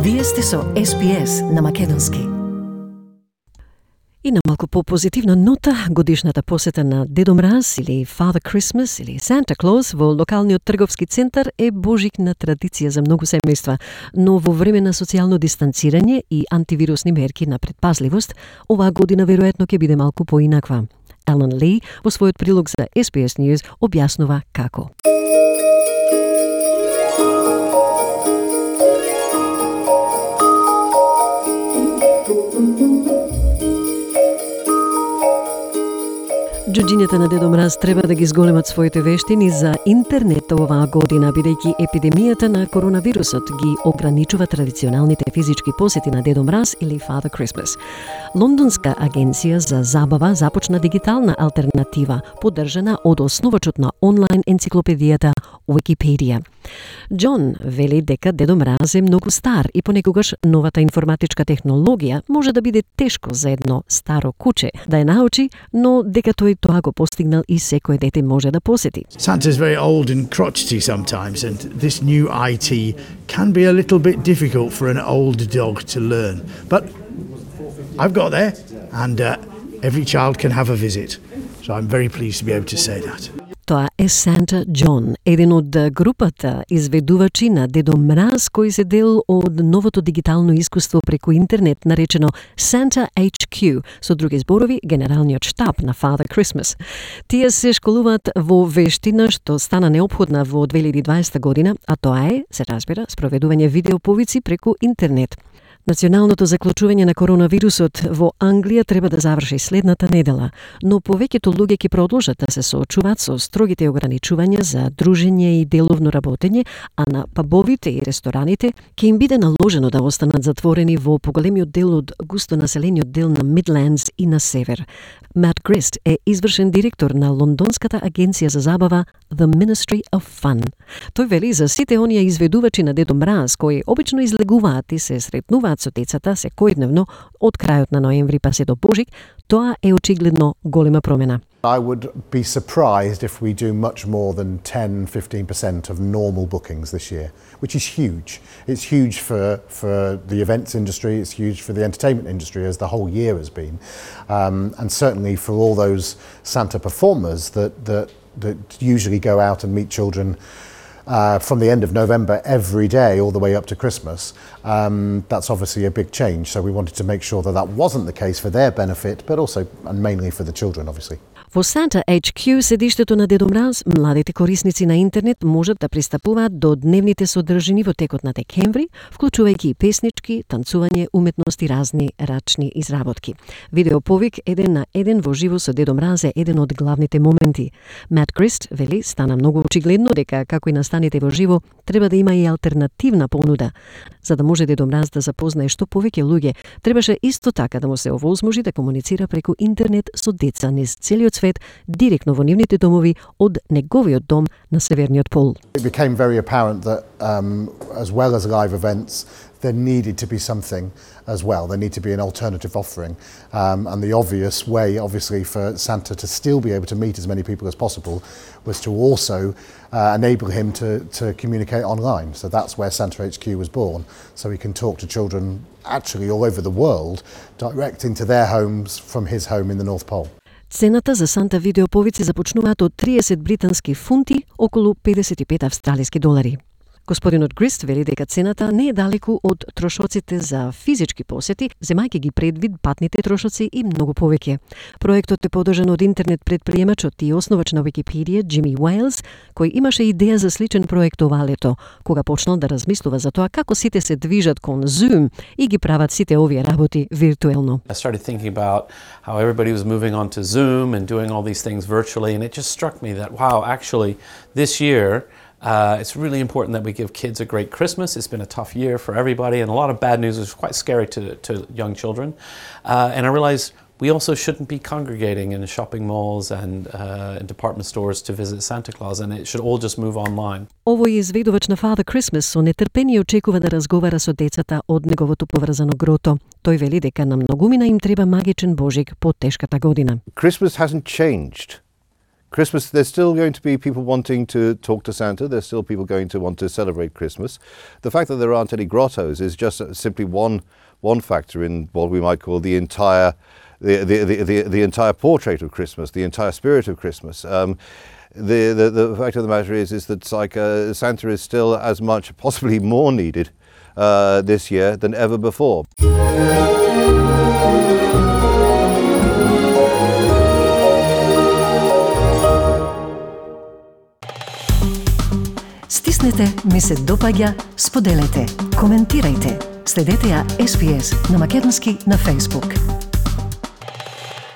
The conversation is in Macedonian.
Вие сте со SPS на македонски. И на малку по-позитивна нота, годишната посета на Дедо Мраз или Father Christmas или Santa Claus во локалниот трговски центар е божикна традиција за многу семејства, но во време на социјално дистанцирање и антивирусни мерки на предпазливост, оваа година веројатно ќе биде малку поинаква. Елен Ли во својот прилог за SBS News објаснува како. Џуџињата на Дедо Мраз треба да ги зголемат своите вештини за интернет оваа година, бидејќи епидемијата на коронавирусот ги ограничува традиционалните физички посети на Дедо Мраз или Father Christmas. Лондонска агенција за забава започна дигитална алтернатива, поддржана од основачот на онлайн енциклопедијата Wikipedia. Џон вели дека Дедо Мраз е многу стар и понекогаш новата информатичка технологија може да биде тешко за едно старо куче да ја научи, но дека тој тоа го постигнал и секој дете може да посети. Santa's very old and crotchety sometimes, and this new IT can be a little bit difficult for an old dog to learn. But I've got there, and every child can have a visit. So I'm very pleased to be able to say that. Тоа е Санта Џон, еден од групата изведувачи на Дедо Мраз кои се дел од новото дигитално искуство преку интернет наречено Santa HQ, со други зборови генералниот штаб на Father Christmas. Тие се школуваат во вештина што стана неопходна во 2020 година, а тоа е, се разбира, спроведување видеоповици преку интернет. Националното заклучување на коронавирусот во Англија треба да заврши следната недела, но повеќето луѓе ќе продолжат да се соочуваат со строгите ограничувања за дружење и деловно работење, а на пабовите и рестораните ќе им биде наложено да останат затворени во поголемиот дел од густо населениот дел на Midlands и на север. Мат Грист е извршен директор на лондонската агенција за забава The Ministry of Fun. Тој вели за сите оние изведувачи на Дедо Мраз кои обично излегуваат и се сретнуваат со децата секојдневно од крајот на ноември па се до Божик, тоа е очигледно голема промена. I would be surprised if we do much more than 10-15% of normal bookings this year, which is huge. It's huge for the events industry, it's huge for the entertainment industry as the whole year has been, and certainly for all those Santa performers that usually go out and meet children from the end of November every day all the way up to Christmas. That's obviously a big change, so we wanted to make sure that wasn't the case for their benefit, but also and mainly for the children, obviously. Во Santa HQ, седиштето на Дедо Мраз, младите корисници на интернет можат да пристапуваат до дневните содржини во текот на декември, вклучувајќи и песнички, танцување, уметност и разни рачни изработки. Видеоповик еден на еден во живо со Дедо Мраз е еден од главните моменти. Мат Грист вели стана многу очигледно дека како и настаните во живо, треба да има и алтернативна понуда. За да може Дедо Мраз да запознае што повеќе луѓе, требаше исто така да му се овозможи да комуницира преку интернет со деца низ целиот свет, директно во нивните домови од неговиот дом на Северниот пол. It became very apparent that as well as live events, there needed to be something as well. There needed to be an alternative offering. And the obvious way, obviously, for Santa to still be able to meet as many people as possible was to also enable him to communicate online. So that's where Santa HQ was born. So he can talk to children actually all over the world, direct into their homes from his home in the North Pole. Цената за Санта видеоповици започнуваат од 30 британски фунти, околу 55 австралиски долари. Господинот Грист вели дека цената не е далеку од трошоците за физички посети, земајќи ги предвид патните трошоци и многу повеќе. Проектот е подржан од интернет предприемачот и основач на Wikipedia Джими Уейлс, кој имаше идеја за сличен проект ова лето, кога почнал да размислува за тоа како сите се движат кон Zoom и ги прават сите овие работи виртуелно. I started thinking about how everybody was moving on to Zoom and doing all these things virtually, and it just struck me that, wow, actually, this year, it's really important that we give kids a great Christmas. It's been a tough year for everybody, and a lot of bad news is quite scary to young children. And I realized we also shouldn't be congregating in shopping malls and department stores to visit Santa Claus, and it should all just move online. Овој изведувач на Father Christmas со нетрпение очекува да разговара со децата од неговото поврзано грото. Тој вели дека на многумина им треба магичен Божик по тешката година. Christmas hasn't changed. Christmas, there's still going to be people wanting to talk to Santa. There's still people going to want to celebrate Christmas. The fact that there aren't any grottos is just simply one factor in what we might call the entire portrait of Christmas, the entire spirit of Christmas. The fact of the matter is that it's like Santa is still as much, possibly more needed this year than ever before. Стиснете, ми се допаѓа, споделете, коментирајте. Следете ја SBS на македонски на Facebook.